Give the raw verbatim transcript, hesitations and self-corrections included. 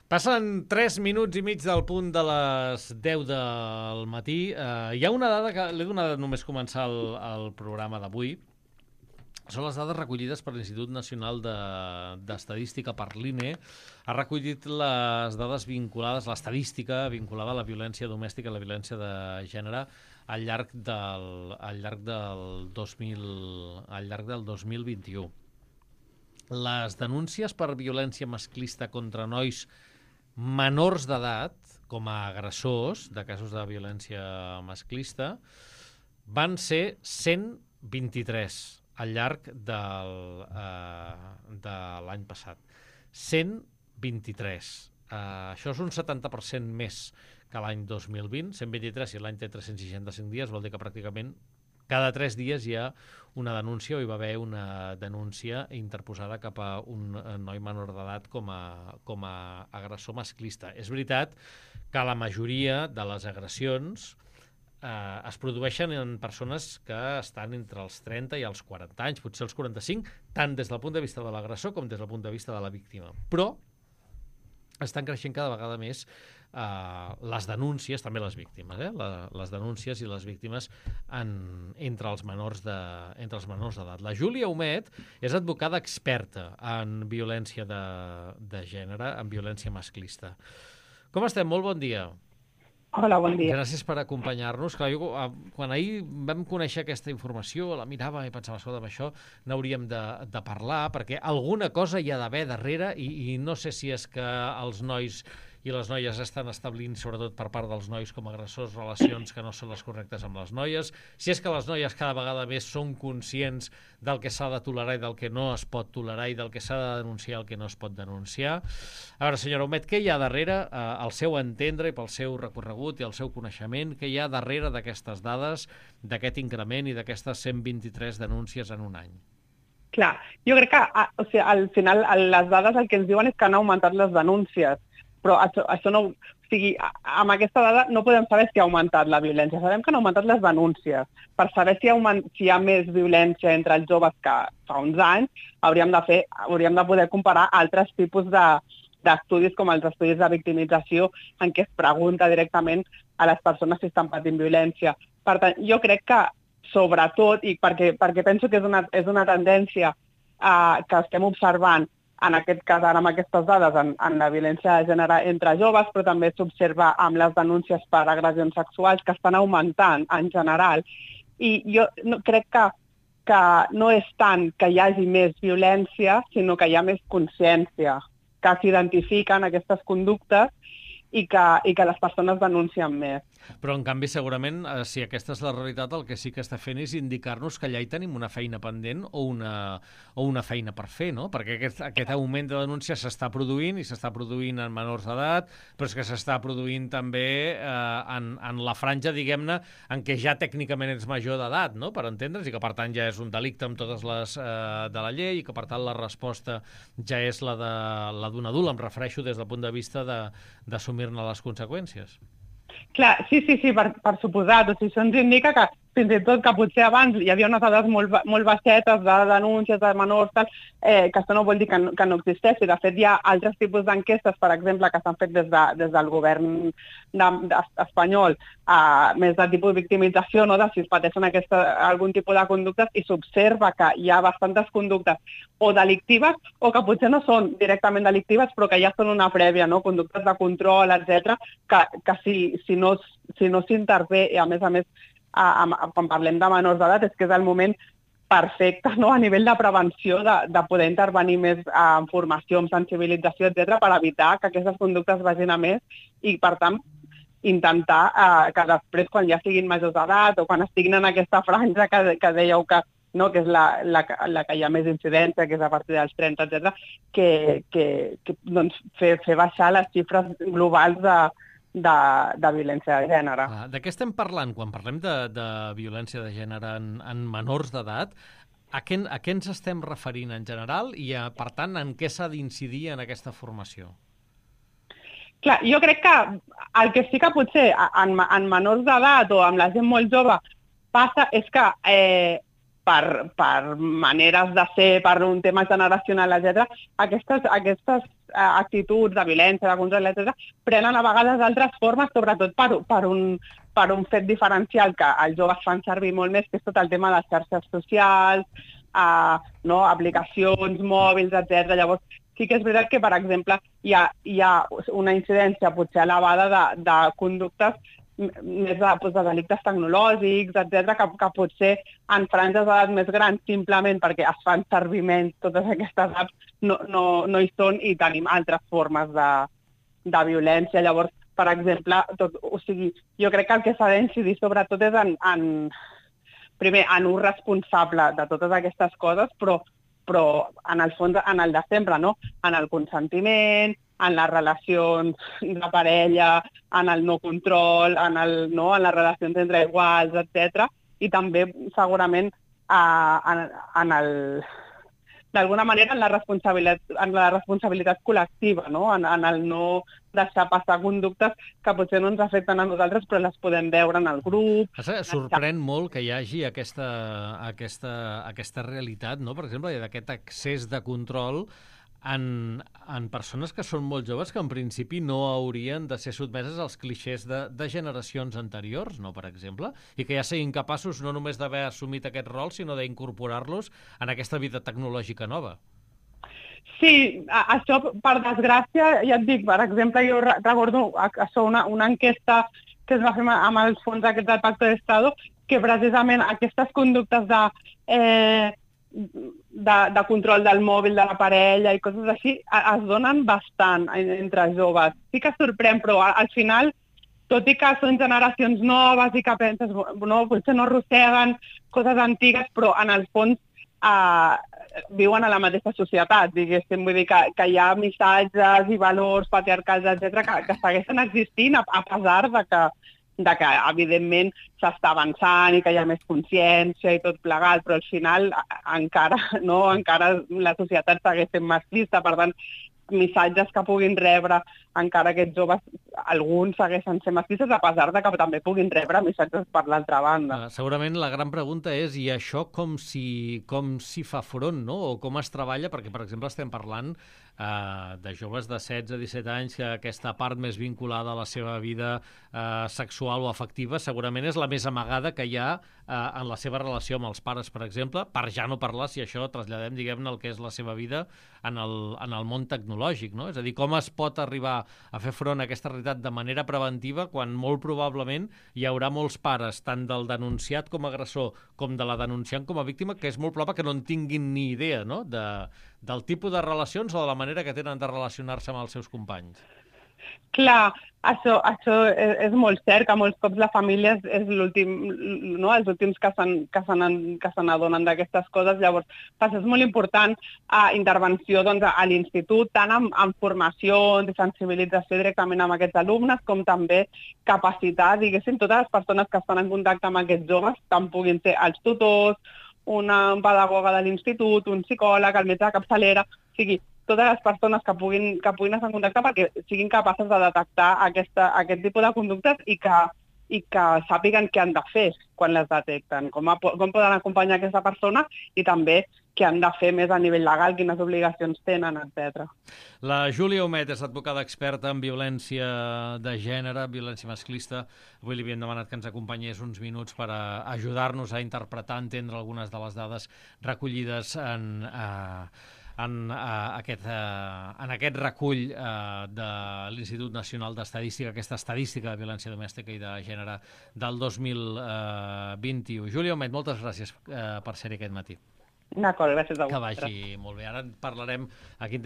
Passen tres minuts i mig del punt de les deu del matí. Uh, hi ha una dada que l'he donat només començar el, el programa d'avui. Són les dades recollides per l'Institut Nacional d'Estadística, per l'I N E. Ha recollit les dades vinculades, l'estadística vinculada a la violència domèstica i la violència de gènere al llarg del, al llarg del, dos mil, al llarg del dos mil vint-i-u. Les denúncies per violència masclista contra nois menors d'edat, com a agressors de casos de violència masclista, van ser cent vint-i-tres al llarg del, eh, de l'any passat. cent vint-i-tres. Eh, això és un setanta per cent més que l'any dos mil vint. cent vint-i-tres, si l'any té tres-cents seixanta-cinc dies, vol dir que pràcticament cada tres dies hi ha una denúncia, o hi va haver una denúncia interposada cap a un noi menor d'edat com a, com a agressor masclista. És veritat que la majoria de les agressions eh, es produeixen en persones que estan entre els trenta i els quaranta anys, potser els quaranta-cinc, tant des del punt de vista de l'agressor com des del punt de vista de la víctima. Però estan creixent cada vegada més eh, les denúncies, també les víctimes, eh? La, les denúncies i les víctimes en, entre els menors de, entre els menors d'edat. La Júlia Humet és advocada experta en violència de, de gènere, en violència masclista. Com estem? Molt bon dia. Hola, bon dia. Gràcies per acompanyar-nos. Clar, jo, quan ahir vam conèixer aquesta informació, la mirava i pensava, escolta, d'això n'hauríem de, de parlar, perquè alguna cosa hi ha d'haver darrere i, i no sé si és que els nois i les noies estan establint, sobretot per part dels nois com a agressors, relacions que no són les correctes amb les noies, si és que les noies cada vegada més són conscients del que s'ha de tolerar i del que no es pot tolerar i del que s'ha de denunciar i el que no es pot denunciar. A veure, senyora Humet, què hi ha darrere, eh, al seu entendre i pel seu recorregut i el seu coneixement, què hi ha darrere d'aquestes dades, d'aquest increment i d'aquestes cent vint-i-tres denúncies en un any? Clar, jo crec que o sigui, al final les dades el que ens diuen és que han augmentat les denúncies, però això, això no, o sigui, amb aquesta dada no podem saber si ha augmentat la violència, sabem que han augmentat les denúncies. Per saber si, augment, si hi ha més violència entre els joves que fa uns anys, hauríem de, fer, hauríem de poder comparar altres tipus de, d'estudis com els estudis de victimització en què es pregunta directament a les persones si estan patint violència. Per tant, jo crec que sobretot, i perquè, perquè penso que és una, és una tendència uh, que estem observant en aquest cas, ara amb aquestes dades, en, en la violència de gènere entre joves, però també s'observa amb les denúncies per agressions sexuals que estan augmentant en general. I jo no, crec que, que no és tant que hi hagi més violència, sinó que hi ha més consciència, que s'identifiquen aquestes conductes i que, i que les persones denuncien més. Però, en canvi, segurament, eh, si aquesta és la realitat, el que sí que està fent és indicar-nos que allà hi tenim una feina pendent o una, o una feina per fer, no? Perquè aquest, aquest augment de denúncies s'està produint i s'està produint en menors d'edat, però és que s'està produint també eh, en, en la franja, diguem-ne, en què ja tècnicament ets major d'edat, no?, per entendre's, i que, per tant, ja és un delicte amb totes les eh, de la llei i que, per tant, la resposta ja és la de la d'un adult, em refereixo des del punt de vista d'assumir-ne les conseqüències. Clar, sí, sí, sí, per, per suposat. O sigui, això ens indica que fins i tot que potser abans hi havia unes dades molt, molt baixetes de denúncies de menors, tal, eh, que això no vol dir que no, que no existeixi. De fet, hi ha altres tipus d'enquestes, per exemple, que s'han fet des, de, des del govern de, de, espanyol, eh, més de tipus de victimització, no? De si es pateixen aquesta, algun tipus de conductes, i s'observa que hi ha bastantes conductes o delictives o que potser no són directament delictives, però que ja són una prèvia, no? Conductes de control, etcètera, que, que si, si no si no s'intervé, i a més a més, a, a, quan parlem de menors d'edat, és que és el moment perfecte, no?, a nivell de prevenció, de, de poder intervenir més en formació, en sensibilització, etcètera, per evitar que aquestes conductes vagin a més i, per tant, intentar eh, que després, quan ja siguin majors d'edat o quan estiguin en aquesta franja que, que dèieu que, no, que és la, la, la que hi ha més incidència, que és a partir dels trenta, etcètera, que, que, que doncs, fer, fer baixar les xifres globals de De, de violència de gènere. Ah, de què estem parlant quan parlem de, de violència de gènere en, en menors d'edat? A què, a què ens estem referint en general i, a, per tant, en què s'ha d'incidir en aquesta formació? Clar, jo crec que el que sí que potser en, en menors d'edat o amb la gent molt jove passa és que eh, per, per maneres de ser, per un tema generacional, etcètera, aquestes, aquestes eh, actituds de violència, de control, etcètera, prenen a vegades altres formes, sobretot per, per, un, per un fet diferencial que els joves fan servir molt més, que és tot el tema de les xarxes socials, eh, no, aplicacions, mòbils, etcètera. Llavors, sí que és veritat que, per exemple, hi ha, hi ha una incidència potser elevada de, de conductes més de, doncs, de delictes tecnològics, etcètera, que, que potser en franges d'edat més grans, simplement perquè es fan servir menys totes aquestes apps, no, no, no hi són i tenim altres formes de, de violència. Llavors, per exemple, tot, o sigui, jo crec que el que s'ha d'incidir sobretot és en, en, primer, en un responsable de totes aquestes coses, però, però en el fons, en el de sempre, no? En el consentiment, en les relacions de parella, en el no control, en, el, no, en les relacions entre iguals, etcètera. I també, segurament, eh, en, en el, d'alguna manera, en la responsabilitat, en la responsabilitat col·lectiva, no? En, en el no deixar passar conductes que potser no ens afecten a nosaltres, però les podem veure en el grup. Sorprèn molt que hi hagi aquesta, aquesta, aquesta realitat, no? Per exemple, d'aquest excés de control En, en persones que són molt joves que en principi no haurien de ser sotmeses als clixés de, de generacions anteriors, no, per exemple, i que ja siguin capaços no només d'haver assumit aquest rol, sinó d'incorporar-los en aquesta vida tecnològica nova. Sí, això, per desgràcia, ja et dic, per exemple, jo recordo això, una, una enquesta que es va fer amb els fons aquests del Pacto d'Estado, que precisament aquestes conductes de... Eh, De, de control del mòbil de la parella i coses així, es donen bastant entre joves. Sí que sorprèn, però al final, tot i que són generacions noves i que penses, no, potser no arrosseguen coses antigues, però en el fons eh, viuen a la mateixa societat, diguéssim. Vull dir que, que hi ha missatges i valors patriarcals, etcètera, que, que segueixen existint a, a pesar de que de que, evidentment, s'està avançant i que hi ha més consciència i tot plegat, però al final encara, no, encara la societat segueix sent masclista, per tant, missatges que puguin rebre encara aquests joves, alguns segueixen sent masclistes, a pesar de que també puguin rebre missatges per l'altra banda. Uh, segurament la gran pregunta és, i això com s'hi com s'hi fa front, no? O com es treballa? Perquè, per exemple, estem parlant Uh, de joves de setze a disset anys que aquesta part més vinculada a la seva vida uh, sexual o afectiva segurament és la més amagada que hi ha uh, en la seva relació amb els pares, per exemple, per ja no parlar si això traslladem, diguem-ne, el que és la seva vida en el, en el món tecnològic, no? És a dir, com es pot arribar a fer front a aquesta realitat de manera preventiva quan molt probablement hi haurà molts pares, tant del denunciat com a agressor com de la denunciant com a víctima, que és molt probable que no en tinguin ni idea, no?, de, del tipus de relacions o de la manera que tenen de relacionar-se amb els seus companys. Clar, això, això és, és molt cert, que molts cops la família és, és l'últim, no? Els últims que se n'adonen d'aquestes coses. Llavors, és molt important a intervenció, doncs, a l'institut, tant en, en formació, de sensibilització directament amb aquests alumnes, com també capacitar, diguéssim, totes les persones que estan en contacte amb aquests joves, tant puguin ser els tutors, una pedagoga de l'institut, un psicòleg, el metge de capçalera, o sigui, totes les persones que puguin, que puguin estar en contacte perquè siguin capaces de detectar aquesta, aquest tipus de conductes i que, i que sàpiguen què han de fer quan les detecten, com, a, com poden acompanyar aquesta persona i també què han de fer més a nivell legal, quines obligacions tenen, etcètera. La Júlia Homet és advocada experta en violència de gènere, violència masclista. Avui li havíem demanat que ens acompanyés uns minuts per ajudar-nos a interpretar, entendre algunes de les dades recollides en... Eh, En, uh, aquest, uh, en aquest recull uh, de l'Institut Nacional d'Estadística, aquesta estadística de violència domèstica i de gènere del dos mil vint-i-u. Júlia Homet, moltes gràcies uh, per ser-hi aquest matí. D'acord, gràcies a vosaltres. Que vagi molt bé. Ara parlarem, aquí